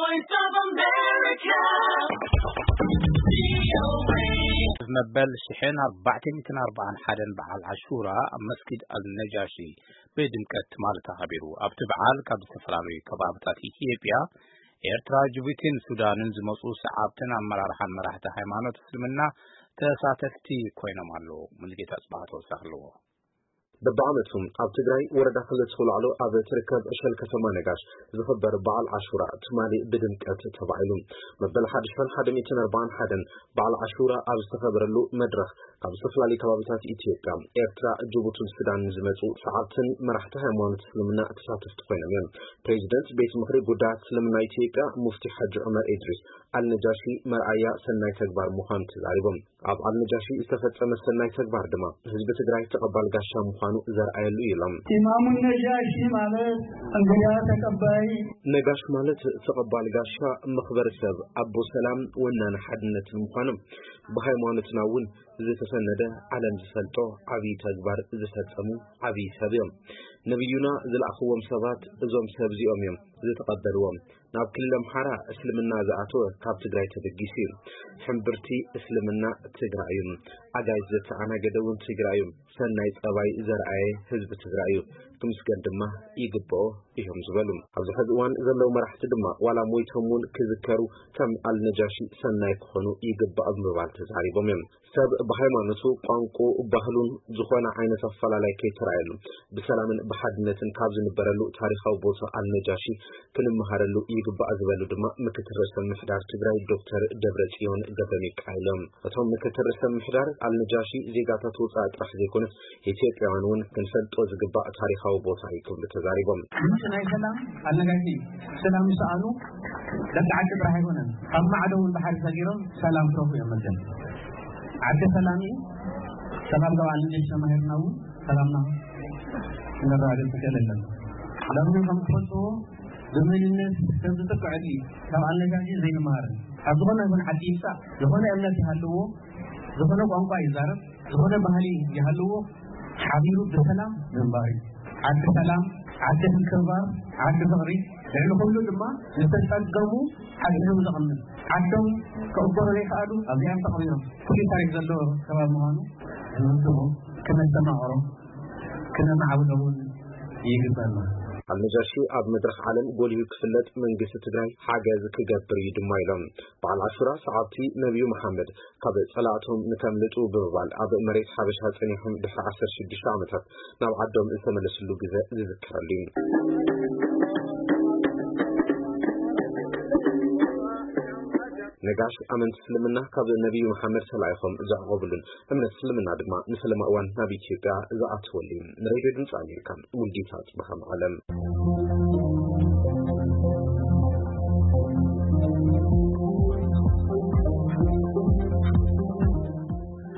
Voice of America. መበል ሽሕን ኣርባዕተ ሚእትን ኣርባዓን ሓደን በዓል ዓሹራ ኣብ መስጊድ ኣልነጃሺ ብድምቀት ትማሊ ተኸቢሩ። ኣብቲ በዓል ካብ ዝተፈላለዩ ከባብታት ኢትዮጵያ፣ ኤርትራ፣ ጅቡቲን ሱዳንን ዝመፁ ሰዓብትን ኣመራርሓን መራሕቲ ሃይማኖት እስልምና ተሳተፍቲ ኮይኖም ኣለዉ። ሙሉጌታ ጽባህ ተወሳኺ ኣለዎ። በብዓመቱ ኣብ ትግራይ ወረዳ ክልተ ውላዕሎ ኣብ ትርከብ ዕሸል ከተማ ነጋሽ ዝኽበር በዓል ዓሹራ ትማሊ ብድምቀት ተባዒሉ። መበል ሓድሽን ሓደ ሚእትን ኣርባዓን ሓደን በዓል ዓሹራ ኣብ ዝተኸበረሉ መድረኽ ካብ ዝተፈላለዩ ከባብታት ኢትዮጵያ፣ ኤርትራ፣ ጅቡትን ሱዳንን ዝመፁ ሰዓብትን መራሕቲ ሃይማኖት እስልምና ተሳተፍቲ ኮይኖም እዮም። ፕሬዚደንት ቤት ምኽሪ ጉዳያት እስልምና ኢትዮጵያ ሙፍቲ ሓጂ ዑመር ኢድሪስ ኣልነጃሺ መርኣያ ሰናይ ተግባር ምዃኑ ተዛሪቦም። ኣብ ኣልነጃሺ ዝተፈጸመ ሰናይ ተግባር ድማ ህዝቢ ትግራይ ተቐባል ጋሻ ምዃኑ ዘርኣየሉ እዩ ኢሎም። ኢማሙ ነጃሺ ማለት እንግዳ ተቀባይ። ነጋሽ ማለት ተቐባል ጋሻ፣ መኽበሪ ሰብ፣ ኣቦ ሰላም፣ ወናኒ ሓድነትን ምዃኖም ብሃይማኖትና እውን ዝተሰነደ ዓለም ዝፈልጦ ዓብዪ ተግባር ዝፈጸሙ ዓብዪ ሰብ እዮም። ነቢዩና ዝለኣኽዎም ሰባት እዞም ሰብ እዚኦም እዮም ዝተቐበልዎም። ናብ ክልል ኣምሓራ እስልምና ዝኣተወ ካብ ትግራይ ተበጊሱ እዩ። ሕምብርቲ እስልምና ትግራይ እዩ። ኣጋይሽ ዘተኣናገደ እውን ትግራይ እዩ። ሰናይ ጸባይ ዘርኣየ ህዝቢ ትግራይ እዩ። ክምስገን ድማ ይግብኦ እዮም ዝበሉ። ኣብዚ ሕዚ እዋን ዘለዉ መራሕቲ ድማ ዋላ ሞይቶም እውን ክዝከሩ ከም ኣልነጃሺ ሰናይ ክኾኑ ይግባእ ብምባል ተዛሪቦም እዮም። ሰብ ብሃይማኖቱ፣ ቋንቋ፣ ባህሉን ዝኾነ ዓይነት ኣፈላላይ ከይተራእየሉ ብሰላምን ብሓድነትን ካብ ዝንበረሉ ታሪኻዊ ቦታ ኣልነጃሺ ክንመሃረሉ ይግባእ ዝበሉ ድማ ምክትል ርእሰ ምምሕዳር ትግራይ ዶክተር ደብረጽዮን ገብረ ሚካኤል እዮም። እቶም ምክትል ርእሰ ምምሕዳር ኣልነጃሺ ዜጋታት ወፃኢ ጥራሕ ዘይኮነስ ኢትዮጵያውያን እውን ክንፈልጦ ዝግባእ ታሪኻዊ ቦታ እዩ ክብሉ ተዛሪቦም። ምንጭ ናይ ሰላም ኣልነጋሺ እዩ። ሰላም ዝሰኣኑ ደቂ ዓዲ ጥራሕ ኣይኮነን፣ ካብ ማዕዶ እውን ባሕሪ ሰጊሮም ሰላም ክረኽቡ እዮም መቸም። ዓዲ ሰላም እዩ። ሰላም ካብ ኣልነጃሺ ተማሂርና እውን ሰላምና ክንረጋገጽ ንኽእል ኣለና። ሎሚ ከም ትፈልጥዎ ብምንነት ሰብ ዝጥቅዕ ዕድሊ ካብ ኣልነጃሺ ዘይንመሃርን። ካብ ዝኾነ ይኹን ዓዲ ይምጻእ፣ ዝኾነ እምነት ይሃልዎ፣ ዝኾነ ቋንቋ ይዛረብ፣ ዝኾነ ባህሊ ይሃልዎ፣ ሓቢሩ ብሰላም ምንባር እዩ። ዓዲ ሰላም፣ ዓዲ ምክብባር፣ ዓዲ ፍቕሪ፣ ልዕሊ ኩሉ ድማ ዝተጸገሙ ሓድሕዱ ዘቐምጥ። ዓዶም ክቕበሩ ዘይከኣሉ ኣብዚኣም ተቐቢሮም። ፍሉይ ታሪኽ ዘለዎ ከባቢ ምዃኑ ዝምዝሙ ክነስተማቕሮ ክነማዕብሎ እውን ይግበኣና። ኣልነጃሺ ኣብ መድረኽ ዓለም ጎሊሁ ክፍለጥ መንግስቲ ትግራይ ሓገዝ ክገብር እዩ ድማ ኢሎም። በዓል ዓሹራ ሰዓብቲ ነቢዩ መሓመድ ካብ ጸላእቶም ንከምልጡ ብምባል ኣብ መሬት ሓበሻ ጸኒሖም ድሕሪ ዓሰርተ ሽዱሽተ ዓመታት ናብ ዓዶም ዝተመለስሉ ግዘ ዝዝከረሉ እዩ። ነጋሽ ኣመንቲ እስልምና ካብ ነቢዩ መሓመድ ተላኢኾም ዘዕቆብሉን እምነት እስልምና ድማ ንፈለማ እዋን ናብ ኢትዮጵያ ዝኣተወሉ እዩ። ንሬድዮ ድምፂ ኣሜሪካ ሙልጌታ ጽባህ መቐለ።